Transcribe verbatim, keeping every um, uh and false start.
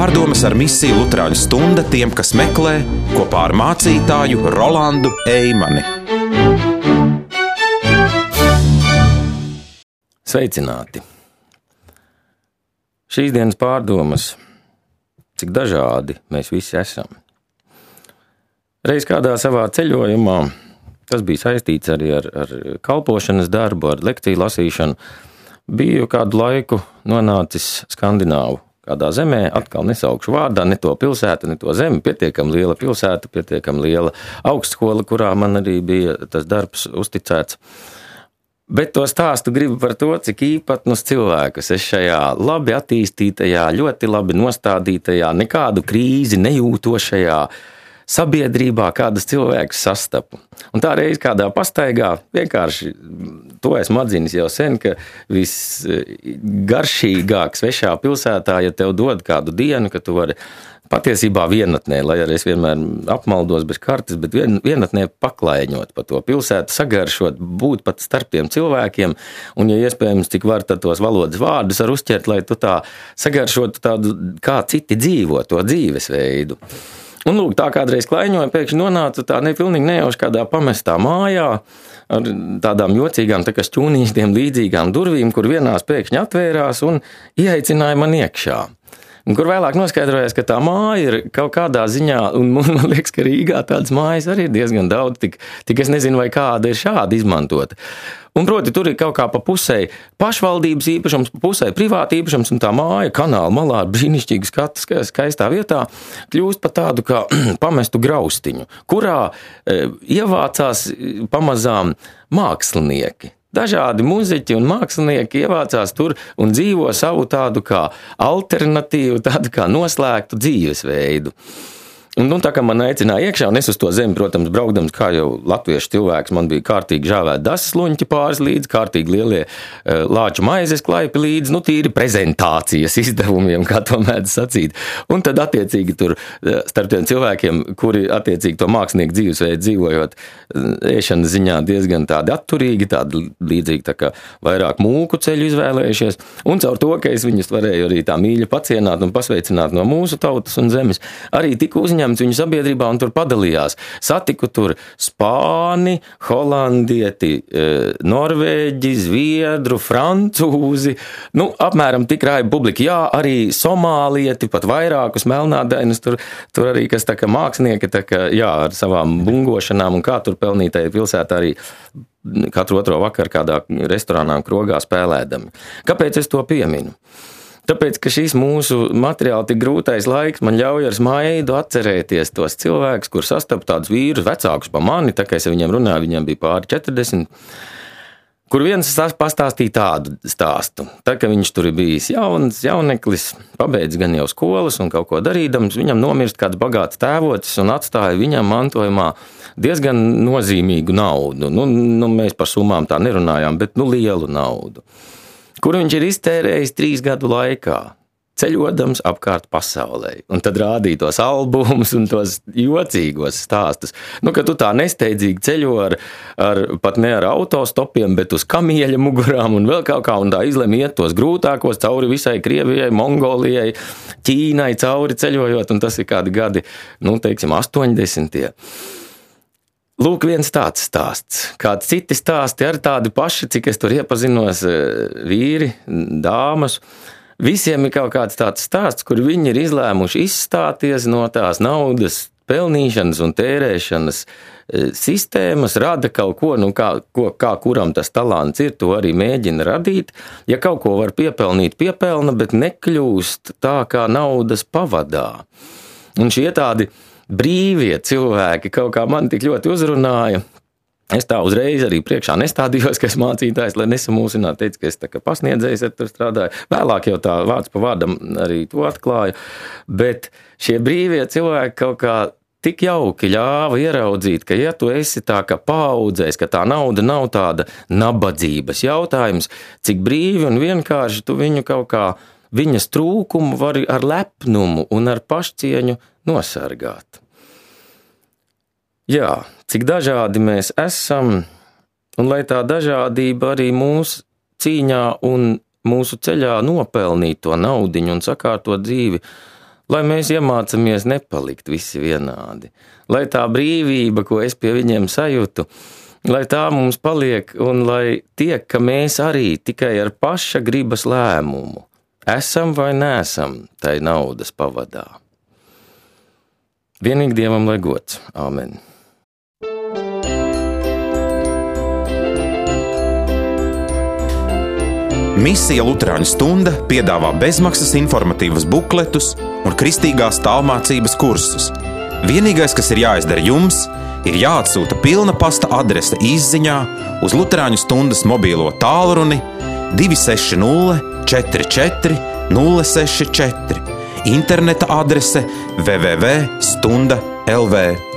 Pārdomas ar misiju Luterāņu stunda tiem, kas meklē, kopā ar mācītāju Rolandu Eimani. Sveicināti! Šīs dienas pārdomas, cik dažādi mēs visi esam. Reiz kādā savā ceļojumā, tas bija saistīts arī ar, ar kalpošanas darbu, ar lekciju lasīšanu, biju kādu laiku nonācis Skandināvu kādā zemē, atkal nesaukšu vārdā, ne to pilsētu, ne to zemi, pietiekami liela pilsēta, pietiekami liela augstskola, kurā man arī bija tas darbs uzticēts. Bet to stāstu gribu par to, cik īpatnus cilvēkus es šajā labi attīstītajā, ļoti labi nostādītajā, nekādu krīzi nejūtošajā sabiedrībā kādas cilvēkus sastapu. Un tā reiz kādā pastaigā, vienkārši to esmu atzinis jau sen, ka visgaršīgāk svešā pilsētā, ja tev dod kādu dienu, ka tu vari patiesībā vienatnē, lai arī es vienmēr apmaldos bez kartes, bet vien, vienatnē paklaiņot pa to pilsētu, sagaršot, būt pat starp tiem cilvēkiem, un, ja iespējams, cik var tad tos valodas vārdus ar uzķert, lai tu tā sagaršotu tādu, kā citi dzīvo, to dzīvesveidu. Un, lūk, tā kādreiz klaiņoja, pēkšņi nonāca tā nepilnīgi nejauši kādā pamestā mājā ar tādām jocīgām, tā kā šķūnīšiem līdzīgām durvīm, kur vienās pēkšņi atvērās un ieaicināja man iekšā. Un kur vēlāk noskaidrojās, ka tā māja ir kaut kādā ziņā, un man liekas, ka Rīgā tādas mājas arī ir diezgan daudz, tik, tik es nezinu, vai kāda ir šāda izmantota. Un proti, tur ir kaut kā pa pusē pašvaldības īpašums, pa pusē privāta īpašums, un tā māja kanāla malā ar brīnišķīgu skatu skaistā vietā kļūst pa tādu kā pamestu graustiņu, kurā e, ievācās pamazām mākslinieki. Dažādi muzeķi un mākslinieki ievācās tur un dzīvo savu tādu kā alternatīvu, tādu kā noslēgtu dzīvesveidu. Un, un tā kā man aicināja iekšā, un es uz to zemi, protams, braukdams, kā jau latviešu cilvēks, man bija kārtīgi žāvēti dasas luņķi pāris līdzi, kārtīgi lielie uh, lāču maizes klaipi līdzi, nu tīri prezentācijas izdevumiem, kā to mēdz sacīt. Un tad attiecīgi tur uh, starp tiem cilvēkiem, kuri attiecīgi to mākslinieku dzīvesveidu dzīvojot, uh, ēšanas ziņā diezgan tādi atturīgi, tādi līdzīgi tā kā vairāk mūku ceļu izvēlējušies, un caur to, ka es viņus varēju arī tā mīļi pacienāt un pasveicināt no mūsu tautas un zemes, arī tika uzņemts viņu sabiedrībā un tur padalījās. Satiku tur spāni, holandieti, norvēģi, zviedru, francūzi, nu, apmēram tik rāja publika. Jā, arī somālieti, pat vairākus melnādainus, tur, tur arī, kas tā kā mākslinieki, tā kā, jā, ar savām bungošanām un kā tur pelnītai pilsētā arī katru otro vakaru kādā restorānā un krogā spēlēdami. Kāpēc es to pieminu? Tāpēc, ka šis mūsu materiāli tik grūtais laiks man ļauj ar smaidu atcerēties tos cilvēkus, kur sastapu tādus vīrus vecākus pa mani, tā kā es ar viņiem runāju, viņiem bija pāri četrdesmit, kur viens pastāstīja tādu stāstu. Tā, ka viņš tur ir bijis jauns, jauneklis, pabeidz gan jau skolas un kaut ko darīdams, viņam nomirst kāds bagāts tēvocis un atstāja viņam mantojumā diezgan nozīmīgu naudu. Nu, nu, mēs par summām tā nerunājām, bet nu lielu naudu, kur viņš ir iztērējis trīs gadu laikā, ceļodams apkārt pasaulē. Un tad rādīja tos albumus un tos jocīgos stāstus. Nu, ka tu tā nesteidzīgi ceļo ar, ar pat ne ar autostopiem, bet uz kamieļa mugurām un vēl kaut kā, un tā izlem iet tos grūtākos cauri visai Krievijai, Mongolijai, Ķīnai cauri ceļojot, un tas ir kādi gadi, nu, teiksim, astoņdesmitie. Lūk, viens tāds stāsts. Kāds citi stāsti ar tādi paši, cik es tur iepazinos vīri, dāmas. Visiem ir kaut kāds tāds stāsts, kur viņi ir izlēmuši izstāties no tās naudas pelnīšanas un tērēšanas sistēmas, rada kaut ko, nu kā, ko, kā kuram tas talants ir, to arī mēģina radīt. Ja kaut ko var piepelnīt, piepelna, bet nekļūst tā, kā naudas pavadā. Un šie tādi brīvie cilvēki kaut kā man tik ļoti uzrunāja. Es tā uzreiz arī priekšā nestādījos, ka es mācītājs, lai nesamūsinātu, teicu, ka es tā kā pasniedzējs ar tur strādāju. Vēlāk jau tā vārds pa vārdam arī to atklāju. Bet šie brīvie cilvēki kaut kā tik jauki ļāva ieraudzīt, ka ja tu esi tā kā paaudzējs, ka tā nauda nav tāda nabadzības jautājums, cik brīvi un vienkārši tu viņu kaut kā, viņas trūkumu vari ar lepnumu un ar pašcieņu nosargāt. Jā, cik dažādi mēs esam, un lai tā dažādība arī mūsu cīņā un mūsu ceļā nopelnīt to naudiņu un sakārtot dzīvi, lai mēs iemācamies nepalikt visi vienādi, lai tā brīvība, ko es pie viņiem sajūtu, lai tā mums paliek un lai tiek, ka mēs arī tikai ar paša gribas lēmumu esam vai neesam tai naudas pavadā. Vienīgi Dievam lai gods. Āmen. Misija Luterāņu stunda piedāvā bezmaksas informatīvas bukletus un kristīgās tālmācības kursus. Vienīgais, kas ir jāizdara jums, ir jāatsūta pilna pasta adrese izziņā uz Luterāņu stundas mobīlo tālruni divi seši nulle četri četri nulle seši četri, interneta adrese w w w punkt stunda punkt l v.